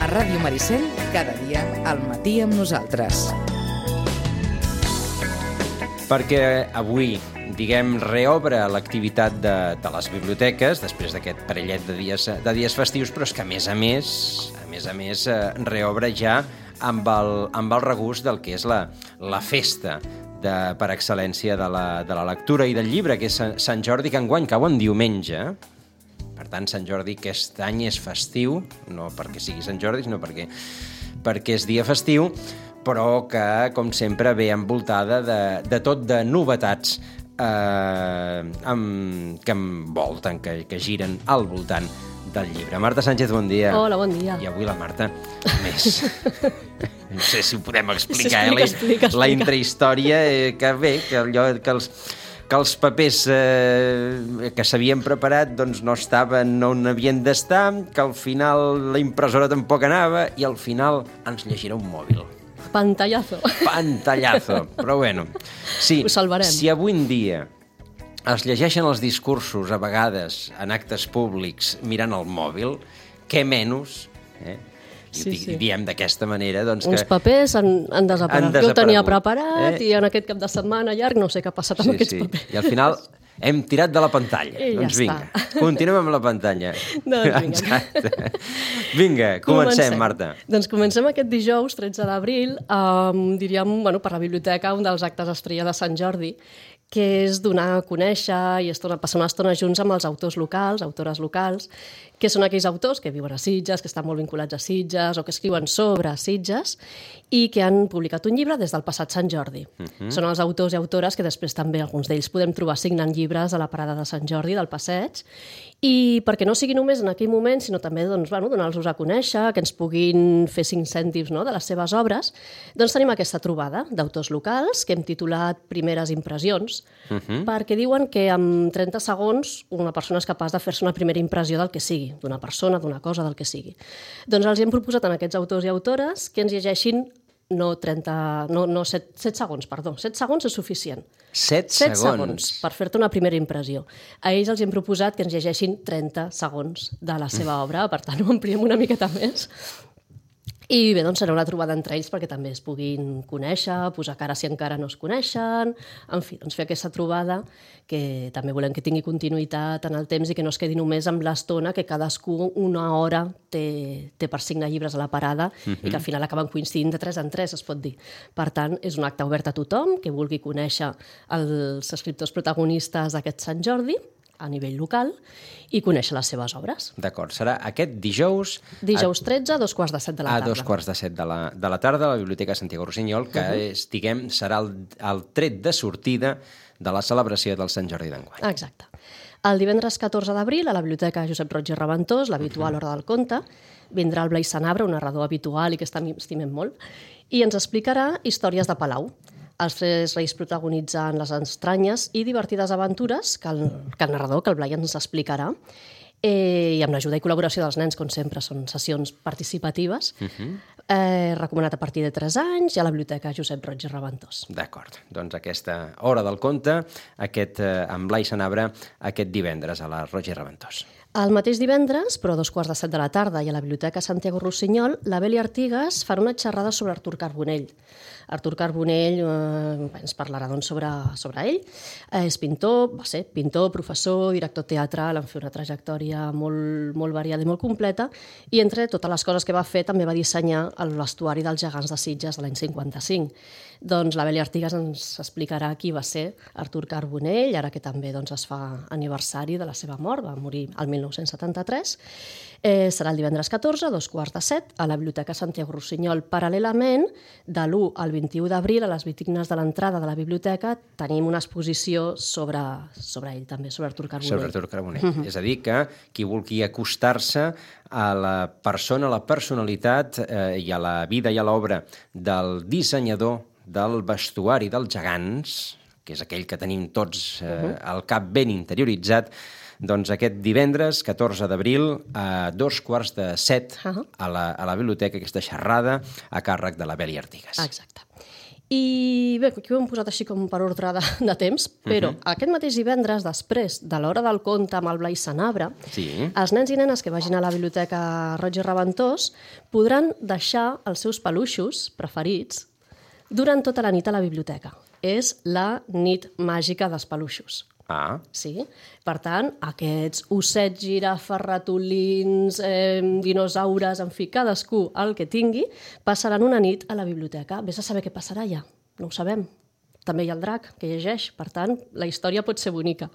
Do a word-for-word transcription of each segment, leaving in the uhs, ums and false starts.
Ràdio Maricel, cada dia al matí amb nosaltres. Perquè avui, diguem, reobre l'activitat de, de les biblioteques després d'aquest parellet de dies, de dies festius, però és que a més a més, a més a més, reobre ja amb el, amb el regust del que és la, la festa de, per excel·lència de la, de la lectura i del llibre, que és Sant Jordi, que enguany cau en diumenge. Per tant, Sant Jordi aquest any és festiu, no perquè sigui Sant Jordi, sinó perquè, perquè és dia festiu, però que, com sempre, ve envoltada de, de tot de novetats eh, amb, que envolten, que, que giren al voltant del llibre. Marta Sánchez, bon dia. Hola, bon dia. I avui la Marta, més... no sé si ho podem explicar, explica, eh? explica, explica. La intrahistòria, eh, que bé, que allò que els... que els papers eh, que s'havien preparat doncs no estaven on havien d'estar, que al final la impressora tampoc anava i al final ens llegirà un mòbil. Pantallazo. Pantallazo. Però bueno, sí, ho salvarem. Si avui en dia es llegeixen els discursos a vegades en actes públics mirant el mòbil, què menys, eh? I Sí, sí, sí. diem d'aquesta manera... Doncs, Uns que papers han, han desaparegut. han desaparegut. Jo ho tenia preparat eh? i en aquest cap de setmana llarg no sé què ha passat amb Sí, aquests sí. papers. I al final hem tirat de la pantalla. I ja doncs vinga, està. continuem amb la pantalla. Doncs vinga. Exacte. Vinga, comencem, Marta. Doncs comencem aquest dijous, tretze d'abril, amb, diríem, bueno, per la biblioteca, un dels actes estrella de Sant Jordi, que és donar a conèixer i estona, passar una estona junts amb els autors locals, autores locals, que són aquells autors que viuen a Sitges, que estan molt vinculats a Sitges o que escriuen sobre Sitges i que han publicat un llibre des del passat Sant Jordi. Uh-huh. Són els autors i autores que després també alguns d'ells podem trobar signant llibres a la parada de Sant Jordi del passeig, i perquè no sigui només en aquell moment, sinó també doncs, bueno, donar-los a conèixer, que ens puguin fer cinc cèntims, no?, de les seves obres, doncs tenim aquesta trobada d'autors locals que hem titulat Primeres impressions, uh-huh. perquè diuen que en trenta segons una persona és capaç de fer-se una primera impressió del que sigui, d'una persona, d'una cosa, del que sigui. Doncs els hem proposat a aquests autors i autores que ens llegeixin no trenta, no, no set, set segons, perdó, set segons és suficient. Set, set segons. segons per fer-te una primera impressió. A ells els hem proposat que ens llegeixin trenta segons de la seva obra, per tant ho ampliem una miqueta més. I bé, doncs serà una trobada entre ells perquè també es puguin conèixer, posar cara si encara no es coneixen, en fi, doncs fer aquesta trobada que també volem que tingui continuïtat en el temps i que no es quedi només amb l'estona que cadascú una hora té, té per signar llibres a la parada uh-huh. i que al final acaben coincidint de tres en tres, es pot dir. Per tant, és un acte obert a tothom que vulgui conèixer els escriptors protagonistes d'aquest Sant Jordi a nivell local i conèixer les seves obres. D'acord, serà aquest dijous... Dijous tretze, a dos quarts de set de la tarda. A dos quarts de set de la, de la tarda a la Biblioteca Santiago Rossinyol, que uh-huh. és, diguem, serà el, el tret de sortida de la celebració del Sant Jordi d'enguany. Exacte. El divendres catorze d'abril, a la Biblioteca Josep Roig i Reventós, l'habitual uh-huh. Hora del Conte, vindrà el Blai Sanabra, un narrador habitual i que estimem molt, i ens explicarà històries de Palau. Els tres reis protagonitzant les estranyes i divertides aventures que el, que el narrador, que el Blai ens explicarà, eh, i amb l'ajuda i col·laboració dels nens, com sempre, són sessions participatives, uh-huh. eh, recomanat a partir de tres anys i a la Biblioteca Josep Roig i Reventós. D'acord, doncs aquesta Hora del Conte, aquest, eh, amb Blai Sanabra, aquest divendres a la Roig i Reventós. El mateix divendres, però a dos quarts de set de la tarda i a la Biblioteca Santiago Rossinyol, la Beli Artigas farà una xerrada sobre Artur Carbonell. Artur Carbonell eh, ens parlarà doncs, sobre, sobre ell. Eh, és pintor, va ser pintor, professor, director teatral, en fer una trajectòria molt, molt variada i molt completa, i entre totes les coses que va fer també va dissenyar el vestuari dels gegants de Sitges de l'any cinquanta-cinc. Doncs la Beli Artigas ens explicarà qui va ser Artur Carbonell, ara que també doncs, es fa aniversari de la seva mort, va morir el mil nou-cents setanta-tres. Eh, serà el divendres catorze, a dos quarts de set, a la Biblioteca Santiago Rossinyol. Paral·lelament, de l'u al vint-i-u d'abril, a les vitrines de l'entrada de la biblioteca, tenim una exposició sobre, sobre ell també, sobre Artur Carbonell. Sobre Artur Carbonell. Uh-huh. És a dir, que qui vulgui acostar-se a la persona, a la personalitat eh, i a la vida i a l'obra del dissenyador del vestuari dels gegants, que és aquell que tenim tots eh, uh-huh. al cap ben interioritzat, doncs aquest divendres, catorze d'abril, a dos quarts de set, uh-huh. a, la, a la biblioteca, aquesta xerrada a càrrec de la Beli Artigas. Exacte. I bé, aquí ho hem posat així com per ordre de, de temps, però uh-huh. aquest mateix divendres, després de l'hora del conte amb el Blai Sanabra, sí. els nens i nenes que vagin a la biblioteca Roig i Reventós podran deixar els seus peluixos preferits durant tota la nit a la biblioteca. És la nit màgica dels peluixos. Ah. Sí? Per tant, aquests ossets, girafes, ratolins, eh, dinosaures, en fi, cadascú el que tingui, passaran una nit a la biblioteca. Vés a saber què passarà ja, no ho sabem. També hi ha el drac, que llegeix, per tant, la història pot ser bonica.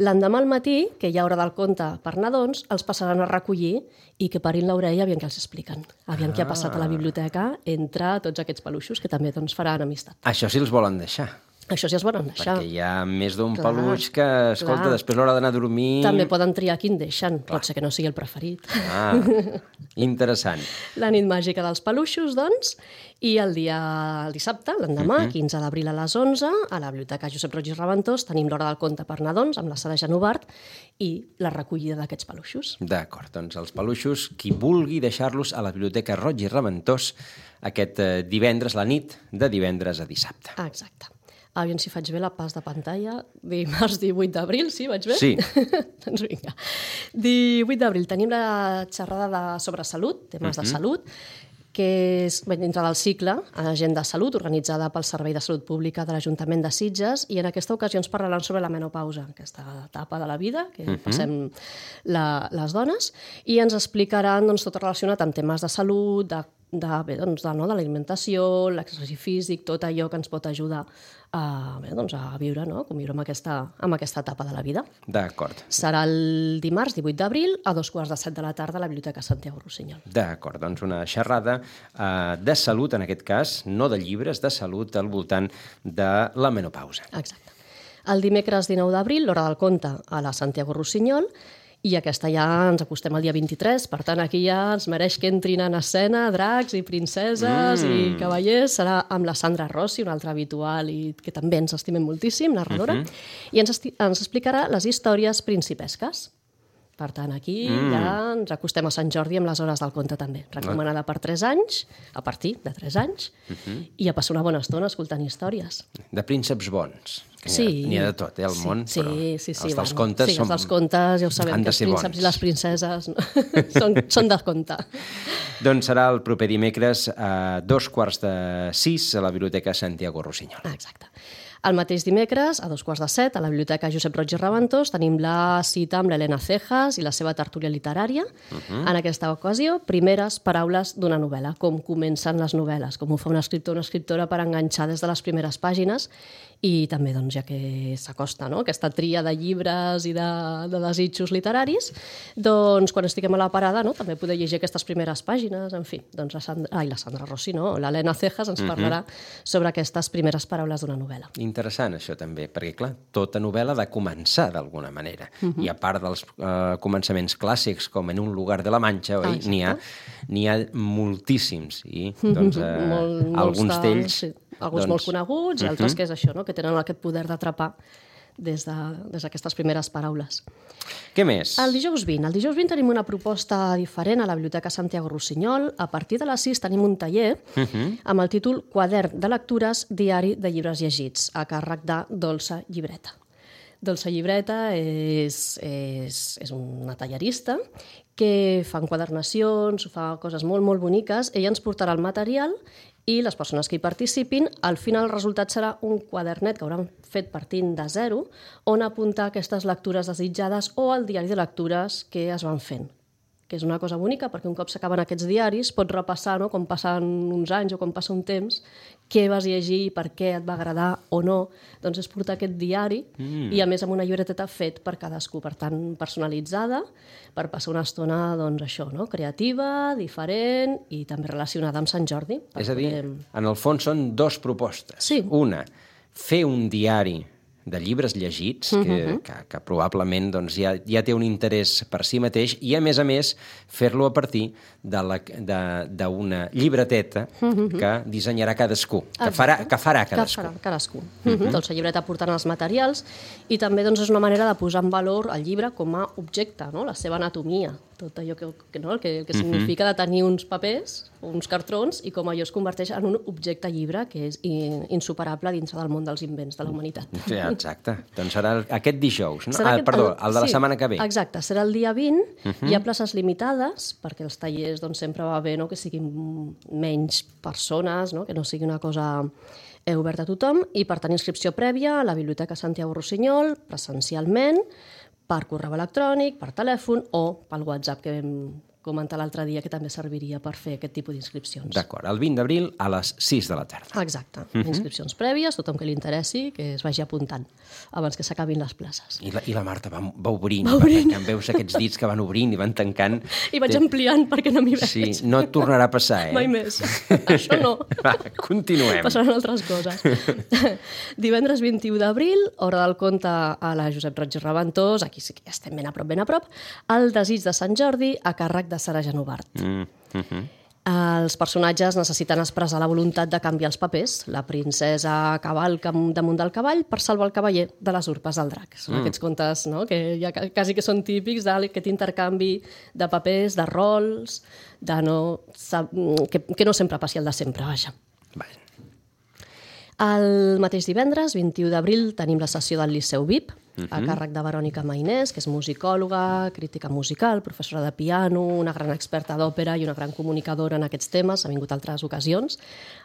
L'endemà al matí, que hi ha hora del conte per nadons, els passaran a recollir i que parin l'orella aviam què els expliquen. Aviam ah. què ha passat a la biblioteca entre tots aquests peluixos, que també doncs, faran amistat. Això sí els volen deixar. Això sí es volen deixar. Perquè hi ha més d'un peluix que, escolta, clar. Després l'hora d'anar a dormir... També poden triar quin deixen. Clar. Pot ser que no sigui el preferit. Ah, interessant. La nit màgica dels peluixos, doncs, i el dia el dissabte, l'endemà, uh-huh. quinze d'abril a les onze, a la Biblioteca Josep Roig i Reventós, tenim l'hora del conte per nadons, amb la Sara Genovart, i la recollida d'aquests peluixos. D'acord, doncs els peluixos, qui vulgui deixar-los a la Biblioteca Roig i Reventós aquest divendres, la nit de divendres a dissabte. Exacte. Aviam si faig bé la pas de pantalla. Dimarts divuit d'abril, sí, vaig bé? Sí. Doncs vinga. divuit d'abril tenim la xerrada de, sobre salut, temes uh-huh. de salut, que és bé, dintre del cicle Agenda Salut, organitzada pel Servei de Salut Pública de l'Ajuntament de Sitges, i en aquesta ocasió ens parlaran sobre la menopausa, aquesta etapa de la vida que uh-huh. passem la, les dones, i ens explicaran doncs, tot relacionat amb temes de salut, de de, bé, doncs, de, no, de l'alimentació, l'exercici físic, tot allò que ens pot ajudar a, bé, doncs, a viure, no? Com viure amb aquesta, amb aquesta etapa de la vida. D'acord. Serà el dimarts divuit d'abril a dos quarts de set de la tarda a la Biblioteca Santiago Rossinyol. D'acord, doncs una xerrada eh, de salut, en aquest cas, no de llibres, de salut al voltant de la menopausa. Exacte. El dimecres dinou d'abril, l'hora del conte a la Santiago Rossinyol, i aquesta ja ens acostem al dia vint-i-tres, per tant aquí ja ens mereix que entrin en escena dracs i princeses mm. i cavallers. Serà amb la Sandra Rossi, una altra habitual i que també ens estimem moltíssim, narradora, uh-huh. i ens, ens explicarà les històries principesques. Per tant, aquí mm. ja ens acostem a Sant Jordi amb les hores del conte també. Recomanada per tres anys, a partir de tres anys, uh-huh. i a passar una bona estona escoltant històries. De prínceps bons. Sí. N'hi ha de tot, eh, al sí, món, sí, però sí, sí, els dels bueno, contes, sí, som... els dels contes ja ho sabem, que els prínceps bons. I les princeses no? són, són de conte. Doncs serà el proper dimecres a dos quarts de sis a la Biblioteca Santiago Rossinyol. Exacte. El mateix dimecres, a dos quarts de set, a la Biblioteca Josep Roig i Reventós, tenim la cita amb l'Helena Cejas i la seva tertúlia literària. Uh-huh. En aquesta ocasió, primeres paraules d'una novel·la, com comencen les novel·les, com ho fa un escriptor o una escriptora per enganxar des de les primeres pàgines, i també, doncs, ja que s'acosta, no?, aquesta tria de llibres i de, de desitjos literaris, doncs, quan estiguem a la parada, no?, també poder llegir aquestes primeres pàgines, en fi, doncs la Sandra, ai, la Sandra Rossi, no?, l'Helena Cejas ens parlarà uh-huh. sobre aquestes primeres paraules d'una novel·la. Interessant, això també, perquè, clar, tota novel·la ha de començar d'alguna manera. Uh-huh. I a part dels uh, començaments clàssics, com en Un lugar de la Mancha, oi? Ah, n'hi ha, n'hi ha moltíssims, i, doncs, uh, Molt, alguns d'ells... Sí. Alguns doncs... molt coneguts, i altres uh-huh. que és això, no?, que tenen aquest poder d'atrapar des d'aquestes de, primeres paraules. Què més? El dijous vint. El dijous vint tenim una proposta diferent a la Biblioteca Santiago Rossinyol. A partir de les sis tenim un taller uh-huh. amb el títol Quadern de lectures, diari de llibres llegits, a càrrec de Dolça Llibreta. Dolça Llibreta és, és, és una tallerista que fa enquadernacions, fa coses molt, molt boniques. Ella ens portarà el material i les persones que hi participin, al final el resultat serà un quadernet que hauran fet partint de zero, on apuntar aquestes lectures desitjades o el diari de lectures que es van fent, que és una cosa bonica, perquè un cop s'acaben aquests diaris pots repassar, no?, com passen uns anys o com passa un temps, què vas llegir, per què et va agradar o no. Doncs és portar aquest diari mm. i a més amb una llibreteta fet per cadascú, per tant personalitzada, per passar una estona, doncs això, no?, creativa, diferent i també relacionada amb Sant Jordi. És a dir, poder... en el fons són dos propostes. Sí. Una, fer un diari de llibres llegits, que, que, que probablement doncs, ja, ja té un interès per si mateix, i a més a més fer-lo a partir d'una llibreteta que dissenyarà cadascú, que farà, que farà cadascú. Que farà cadascú. Uh -huh. Doncs la llibreta portant els materials i també doncs, és una manera de posar en valor el llibre com a objecte, no? La seva anatomia, tot allò que, que, no? el que, el que significa de tenir uns papers, uns cartrons, i com allò es converteix en un objecte llibre que és insuperable dins del món dels invents de la humanitat. Sí, exacte. Doncs serà aquest dijous, no? Serà Ah, aquest, perdó, el de la sí, setmana que ve. Exacte, serà el dia vint, uh -huh. Hi ha places limitades, perquè els tallers doncs, sempre va bé, no? Que siguin menys persones, no? Que no sigui una cosa oberta a tothom, i per tenir inscripció prèvia a la Biblioteca Santiago Rossinyol, presencialment, per correu electrònic, per telèfon o pel WhatsApp, que vam comentar l'altre dia, que també serviria per fer aquest tipus d'inscripcions. D'acord, el vint d'abril a les sis de la tarda. Exacte. Uh -huh. Inscripcions prèvies, tothom que li interessi, que es vagi apuntant abans que s'acabin les places. I la, i la Marta va, va obrint, va obrint. perquè veus aquests dits que van obrint i van tancant. I vaig ampliant perquè no m'hi veig. Sí, no et tornarà a passar, eh? Mai més. Això no. Va, continuem. Passaran altres coses. Divendres vint-i-u d'abril, hora del conte a la Josep Roig i Reventós, aquí sí que ja estem ben a prop, ben a prop, el desig de Sant Jordi a càrrec de Sara Genovart. Mm, uh -huh. Els personatges necessiten expressar la voluntat de canviar els papers. La princesa cavalca damunt del cavall per salvar el cavaller de les urpes del drac. Són mm. aquests contes, no?, que ja quasi que són típics d'aquest intercanvi de papers, de rols, de no, que, que no sempre passi el de sempre, vaja. Vale. El mateix divendres, vint-i-u d'abril, tenim la sessió del Liceu V I P, a càrrec de Verònica Mainès, que és musicòloga, crítica musical, professora de piano, una gran experta d'òpera i una gran comunicadora en aquests temes. Ha vingut altres ocasions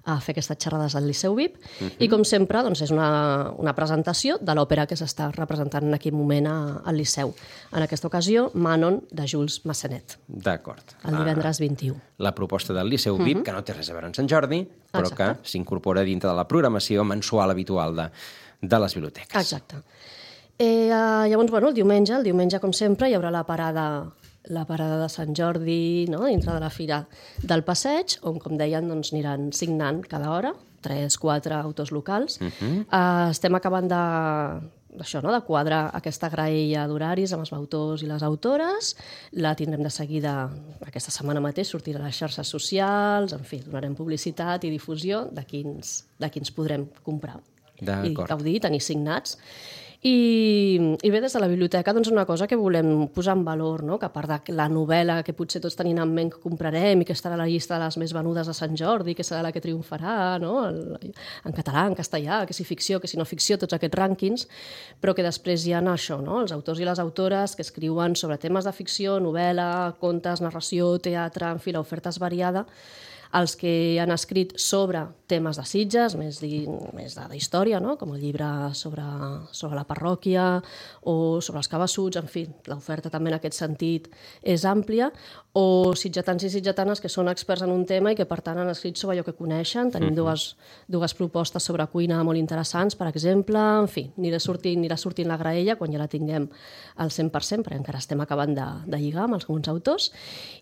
a fer aquestes xerrades al Liceu V I P. Uh -huh. I, com sempre, doncs, és una, una presentació de l'òpera que s'està representant en aquell moment a, al Liceu. En aquesta ocasió, Manon, de Jules Massenet. D'acord. El divendres vint-i-u. La proposta del Liceu V I P, uh -huh. que no té res a veure amb Sant Jordi, però Exacte. que s'incorpora dintre de la programació mensual habitual de, de les biblioteques. Exacte. Eh, llavors, bueno, el diumenge, el diumenge, com sempre, hi haurà la parada, la parada de Sant Jordi, no?, dintre de la Fira del Passeig, on, com deien, doncs, aniran signant cada hora, tres, quatre autors locals. Uh -huh. eh, estem acabant de, això, no?, de quadrar aquesta graella d'horaris amb els autors i les autores. La tindrem de seguida aquesta setmana mateix, sortirà a les xarxes socials, en fi, donarem publicitat i difusió de quins, de quins podrem comprar i gaudir, tenir signats. I, i bé, des de la biblioteca, doncs, una cosa que volem posar en valor, no?, que a part de la novel·la que potser tots tenim en ment que comprarem i que estarà a la llista de les més venudes de Sant Jordi, que serà la que triomfarà, no?, el, en català, en castellà, que si ficció, que si no ficció, tots aquests rànquings, però que després hi ha això, no?, els autors i les autores que escriuen sobre temes de ficció, novel·la, contes, narració, teatre, en fi, l'oferta és variada, els que han escrit sobre temes de Sitges, més, di, més de, de història, no?, com el llibre sobre, sobre la parròquia o sobre els cabassuts, en fi, l'oferta també en aquest sentit és àmplia, o sitgetans i sitgetanes que són experts en un tema i que, per tant, han escrit sobre allò que coneixen. Tenim uh-huh. dues, dues propostes sobre cuina molt interessants, per exemple, en fi, anirà sortint, anirà sortint la graella quan ja la tinguem al cent per cent, perquè encara estem acabant de, de lligar amb alguns autors,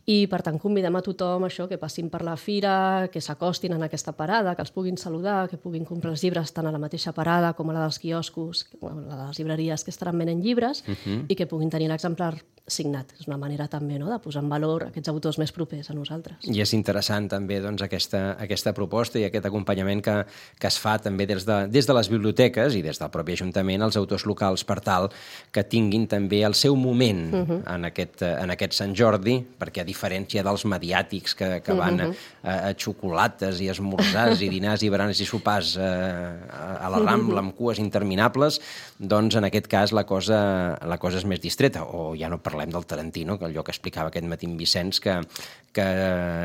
i, per tant, convidem a tothom això, que passin per la fira, que s'acostin en aquesta parada, que els puguin saludar, que puguin comprar els llibres tant a la mateixa parada com a la dels quioscos, bueno, la de les llibreries que estaran venent llibres, uh-huh. i que puguin tenir l'exemplar signat. És una manera també, no?, de posar en valor aquests autors més propers a nosaltres. I és interessant també, doncs, aquesta, aquesta proposta i aquest acompanyament que, que es fa també des de, des de les biblioteques i des del propi Ajuntament als autors locals, per tal que tinguin també el seu moment uh-huh. en, aquest, en aquest Sant Jordi, perquè a diferència dels mediàtics que, que van uh-huh. a, a xocolates i esmorzars i dinars i baranes i sopars a, a la Rambla amb cues interminables, doncs en aquest cas la cosa, la cosa és més distreta, o ja no parlem del Tarantino, que allò que explicava aquest matí en Vicenç, que, que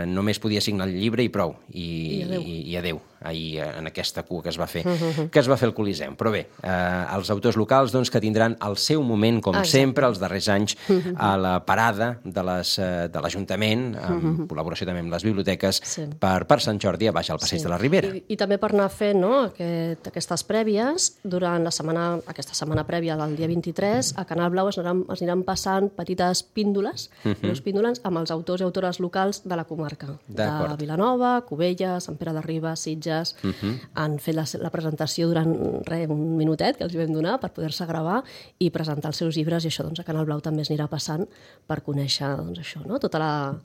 només podia signar el llibre i prou, i, I adeu, i, i adeu ahir en aquesta cua que es va fer, uh-huh. que es va fer al Coliseum. Però bé, eh, els autors locals doncs, que tindran el seu moment, com Exacte. sempre, els darrers anys, uh-huh. a la parada de l'Ajuntament, en uh-huh. col·laboració també amb les biblioteques, sí. per, per Sant Jordi a baix al Passeig sí. de la Ribera. I, I també per anar fent, no?, aquest, aquestes prèvies, durant la setmana, aquesta setmana prèvia del dia vint-i-tres, a Canal Blau es aniran, es aniran passant petites píndoles, uh-huh. píndoles amb els autors i autores locals locals de la comarca. De Vilanova, Cubelles, Sant Pere de Ribes, Sitges. Uh -huh. Han fet la, la presentació durant re, un minutet que els hi vam donar per poder-se gravar i presentar els seus llibres, i això doncs, a Canal Blau també es anirà passant per conèixer doncs, això, no? tota la...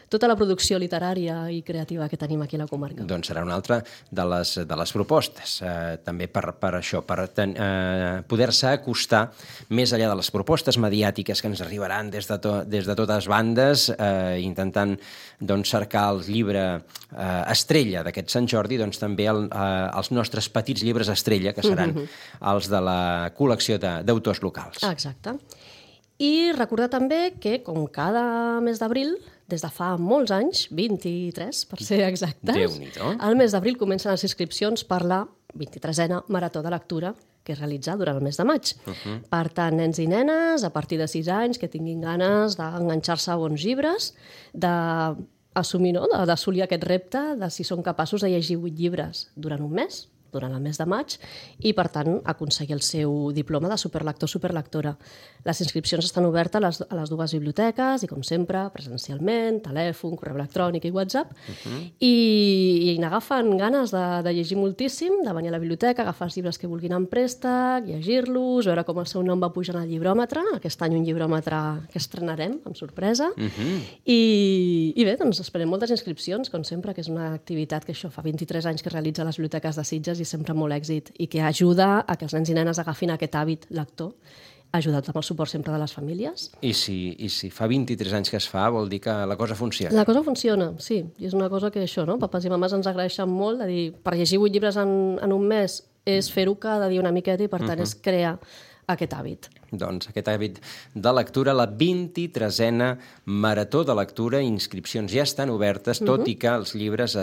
tota la producció literària i creativa que tenim aquí a la comarca. Doncs serà una altra de les, de les propostes, eh, també per, per això, per ten, eh, poder-se acostar més enllà de les propostes mediàtiques que ens arribaran des de, to, des de totes bandes, eh, intentant doncs, cercar el llibre eh, estrella d'aquest Sant Jordi, doncs també el, eh, els nostres petits llibres estrella, que seran mm-hmm. els de la col·lecció d'autors locals. Exacte. I recordar també que, com cada mes d'abril, des de fa molts anys, vint-i-tres per ser exactes, Déu-n'hi-do. al mes d'abril comencen les inscripcions per la vint-i-tresena Marató de Lectura que es realitza durant el mes de maig. Uh-huh. Per tant, nens i nenes, a partir de sis anys, que tinguin ganes d'enganxar-se a bons llibres, d'assumir, no?, d'assolir aquest repte de si són capaços de llegir vuit llibres durant un mes, durant el mes de maig, i, per tant, aconseguir el seu diploma de superlector o superlectora. Les inscripcions estan obertes a les, a les dues biblioteques i, com sempre, presencialment, telèfon, correu electrònic i WhatsApp, uh-huh. i, i n'agafen ganes de, de llegir moltíssim, de venir a la biblioteca, agafar els llibres que vulguin en préstec, llegir-los, veure com el seu nom va pujant al llibròmetre, aquest any un llibròmetre que estrenarem, amb sorpresa, uh-huh. I, i bé, doncs esperem moltes inscripcions, com sempre, que és una activitat que això fa vint-i-tres anys que realitza a les biblioteques de Sitges i sempre molt èxit, i que ajuda a que els nens i nenes agafin aquest hàbit lector, ajudat amb el suport sempre de les famílies. I si, i si fa vint-i-tres anys que es fa, vol dir que la cosa funciona. La cosa funciona, sí. I és una cosa que això, no? Papes i mames ens agraeixen molt, de dir, per llegir vuit llibres en, en un mes és fer-ho cada dia una miqueta i, per tant, uh-huh. és crear aquest hàbit. Doncs aquest hàbit de lectura, la vint-i-tresena Marató de Lectura, inscripcions ja estan obertes, tot uh-huh. i que els llibres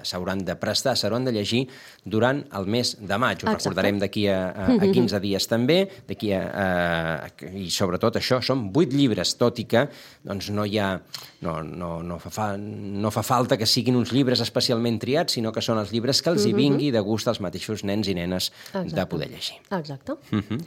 s'hauran de prestar, s'hauran de llegir durant el mes de maig. Ho Exacte. Recordarem d'aquí a, a, a quinze dies també, d'aquí a, a, i sobretot això, són vuit llibres, tot i que doncs, no hi ha... No, no, no, fa, no fa falta que siguin uns llibres especialment triats, sinó que són els llibres que els hi vingui de gust als mateixos nens i nenes Exacte. De poder llegir. Exacte. Uh-huh.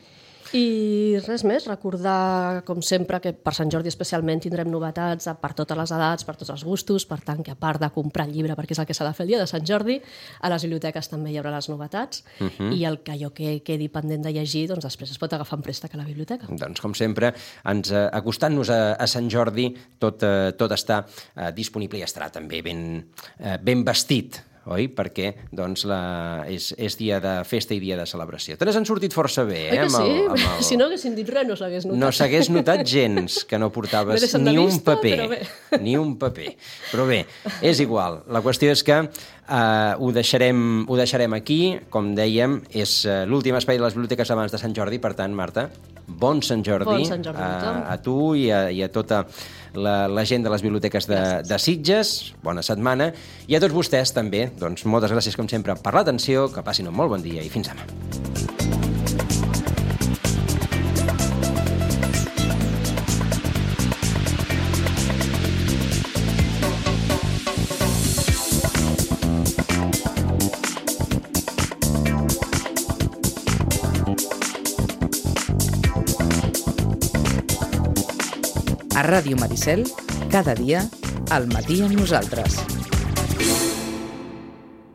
I res més, recordar, com sempre, que per Sant Jordi especialment tindrem novetats per totes les edats, per tots els gustos, per tant que a part de comprar el llibre, perquè és el que s'ha de fer el dia de Sant Jordi, a les biblioteques també hi haurà les novetats, uh-huh. i el que allò que quedi pendent de llegir, doncs després es pot agafar en préstec a la biblioteca. Doncs, com sempre, ens, eh, acostant-nos a, a Sant Jordi, tot, eh, tot està eh, disponible i estarà també ben, eh, ben vestit, oi? Perquè doncs, la... és, és dia de festa i dia de celebració. Te n'has sortit força bé, eh? Oi que sí? Amb el, amb el... Si no haguessin dit res, no s'hagués notat. No s'hagués notat gens que no portaves ni un vista, paper. Ni un paper. Però bé, és igual. La qüestió és que uh, ho, deixarem, ho deixarem aquí. Com dèiem, és uh, l'últim espai de les biblioteques abans de Sant Jordi. Per tant, Marta, bon Sant Jordi, bon Sant Jordi a, a tu i a, i a tota la, la gent de les biblioteques de, de Sitges. Bona setmana. I a tots vostès també, doncs, moltes gràcies, com sempre, per l'atenció, que passin un molt bon dia i fins demà. A Ràdio Maricel, cada dia, al matí amb nosaltres.